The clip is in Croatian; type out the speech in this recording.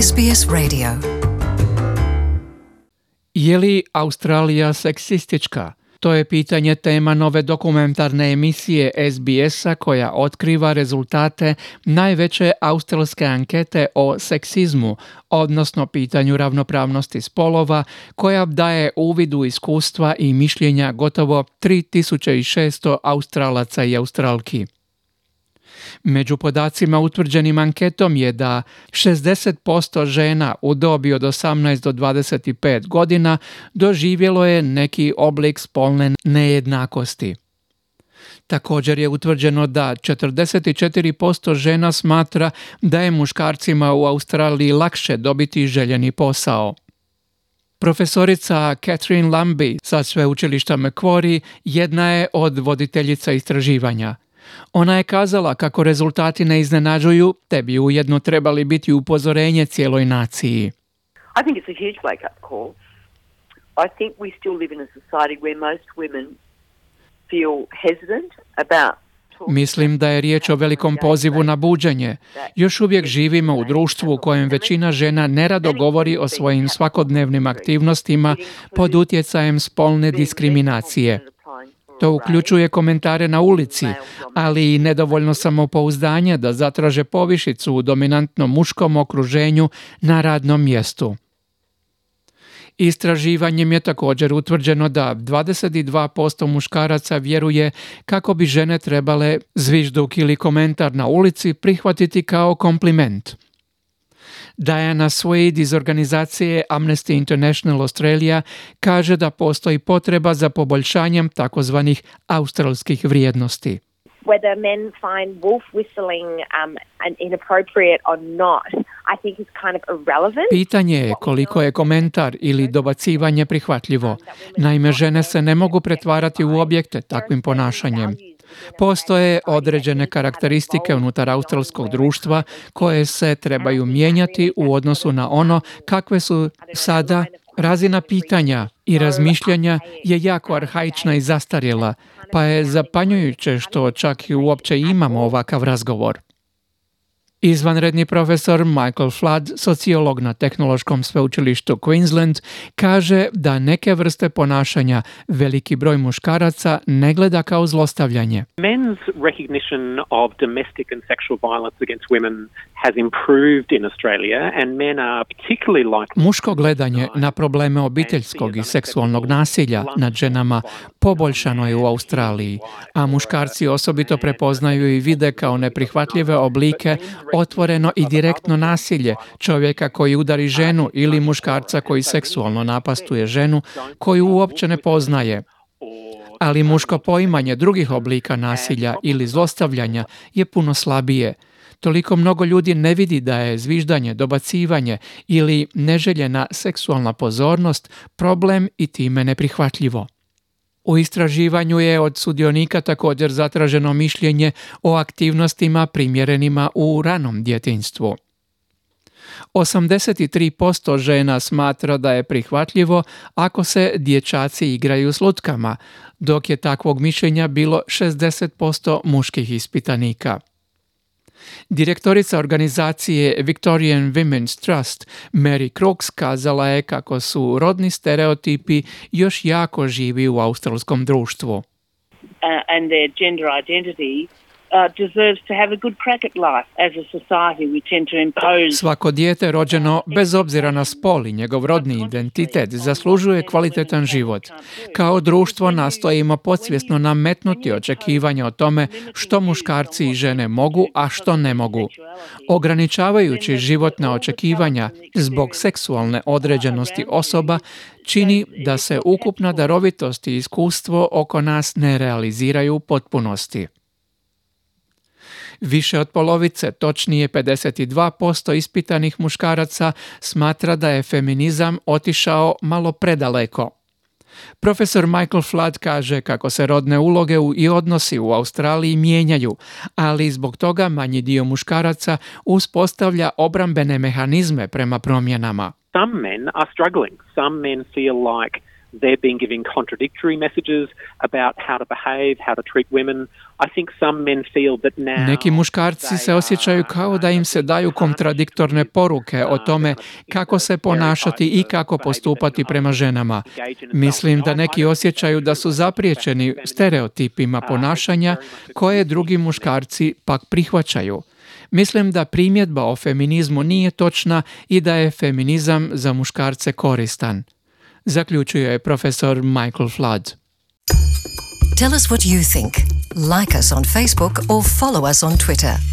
SBS Radio. Je li Australija seksistička? To je pitanje tema nove dokumentarne emisije SBS-a koja otkriva rezultate najveće australske ankete o seksizmu, odnosno pitanju ravnopravnosti spolova, koja daje uvid u iskustva i mišljenja gotovo 3600 Australaca i Australki. Među podacima utvrđenim anketom je da 60% žena u dobi od 18 do 25 godina doživjelo je neki oblik spolne nejednakosti. Također je utvrđeno da 44% žena smatra da je muškarcima u Australiji lakše dobiti željeni posao. Profesorica Catherine Lambie sa sveučilišta Macquarie jedna je od voditeljica istraživanja. Ona je kazala kako rezultati ne iznenađuju, te bi ujedno trebali biti upozorenje cijeloj naciji. I think it's a huge wake-up call. I think we still live in a society where most women feel hesitant about. Mislim da je riječ o velikom pozivu na buđenje. Još uvijek živimo u društvu u kojem većina žena nerado govori o svojim svakodnevnim aktivnostima pod utjecajem spolne diskriminacije. To uključuje komentare na ulici, ali i nedovoljno samopouzdanje da zatraže povišicu u dominantnom muškom okruženju na radnom mjestu. Istraživanjem je također utvrđeno da 22% muškaraca vjeruje kako bi žene trebale zvižduk ili komentar na ulici prihvatiti kao kompliment. Diana Swade iz organizacije Amnesty International Australia kaže da postoji potreba za poboljšanjem takozvanih australskih vrijednosti. Whether men find wolf whistling inappropriate or not, I think is kind of irrelevant. Pitanje je koliko je komentar ili dobacivanje prihvatljivo. Naime, žene se ne mogu pretvarati u objekte takvim ponašanjem. Postoje određene karakteristike unutar australskog društva koje se trebaju mijenjati u odnosu na ono kakve su sada. Razina pitanja i razmišljanja je jako arhaična i zastarjela, pa je zapanjujuće što čak i uopće imamo ovakav razgovor. Izvanredni profesor Michael Flood, sociolog na Tehnološkom sveučilištu Queensland, kaže da neke vrste ponašanja veliki broj muškaraca ne gleda kao zlostavljanje. Men's recognition of domestic and sexual violence against women has improved in Australia and men are particularly likely. Muško gledanje na probleme obiteljskog i seksualnog nasilja nad ženama poboljšano je u Australiji, a muškarci osobito prepoznaju i vide kao neprihvatljive oblike otvoreno i direktno nasilje čovjeka koji udari ženu ili muškarca koji seksualno napastuje ženu koju uopće ne poznaje. Ali muško poimanje drugih oblika nasilja ili zlostavljanja je puno slabije. Toliko mnogo ljudi ne vidi da je zviždanje, dobacivanje ili neželjena seksualna pozornost problem i time neprihvatljivo. U istraživanju je od sudionika također zatraženo mišljenje o aktivnostima primjerenima u ranom djetinjstvu. 83% žena smatra da je prihvatljivo ako se dječaci igraju s lutkama, dok je takvog mišljenja bilo 60% muških ispitanika. Direktorica organizacije Victorian Women's Trust Mary Crooks kazala je kako su rodni stereotipi još jako živi u australskom društvu. And their gender identity deserves to have a good crack at life. As a society we tend to impose. Svako dijete rođeno bez obzira na spol i njegov rodni identitet zaslužuje kvalitetan život. Kao društvo nastojimo podsvjesno nametnuti očekivanja o tome što muškarci i žene mogu, a što ne mogu. Ograničavajući životna očekivanja zbog seksualne određenosti osoba čini da se ukupna darovitost i iskustvo oko nas ne realiziraju u potpunosti. Više od polovice, točnije 52% ispitanih muškaraca smatra da je feminizam otišao malo predaleko. Profesor Michael Flood kaže kako se rodne uloge i odnosi u Australiji mijenjaju, ali zbog toga manji dio muškaraca uspostavlja obrambene mehanizme prema promjenama. Some men are struggling. Some men feel like they've been giving contradictory messages about how to behave, how to treat women. I think some men feel that now... Neki muškarci se osjećaju kao da im se daju kontradiktorne poruke o tome kako se ponašati i kako postupati prema ženama. Mislim da neki osjećaju da su zapriječeni stereotipima ponašanja koje drugi muškarci pak prihvaćaju. Mislim da primjedba o feminizmu nije točna i da je feminizam za muškarce koristan. Zaključuje profesor Michael Flood. Tell us what you think. Like us on Facebook or follow us on Twitter.